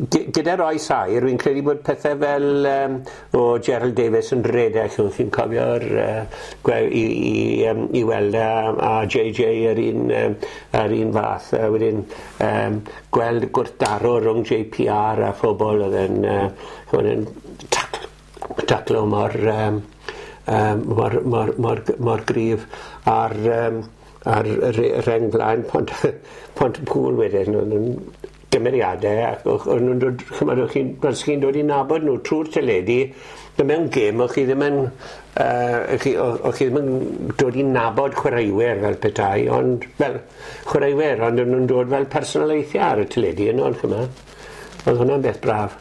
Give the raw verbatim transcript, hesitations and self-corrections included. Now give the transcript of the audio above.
Gyda'r oes aur, fi'n credu bod pethau fel um, o Gerald Davies yn redeg, chi'n chi cofio'r uh, i, i, um, i weld a, a J J yr un, um, yr un fath. A wedyn um, gweld gwrthdaro rhwng J P R a phobl oedd yn, uh, yn taclo, taclo mor, um, um, mor, mor, mor, mor gryf ar, um, ar reng flaen Pont, Pont-y-pŵl wedyn. Oedd yn gymeriadau ac o'n nhw'n dod, chymod, o'ch chi'n chi dod i nabod nhw trwy'r teledu, a mewn gêm o'ch chi ddim yn, uh, chi, o'ch chi ddim yn dod i nabod chwaraewyr fel petai, ond fel chwaraewyr, ond o'n nhw'n dod fel personoliaethau ar y teledu yno, chymod. Oedd hwnna'n beth braf.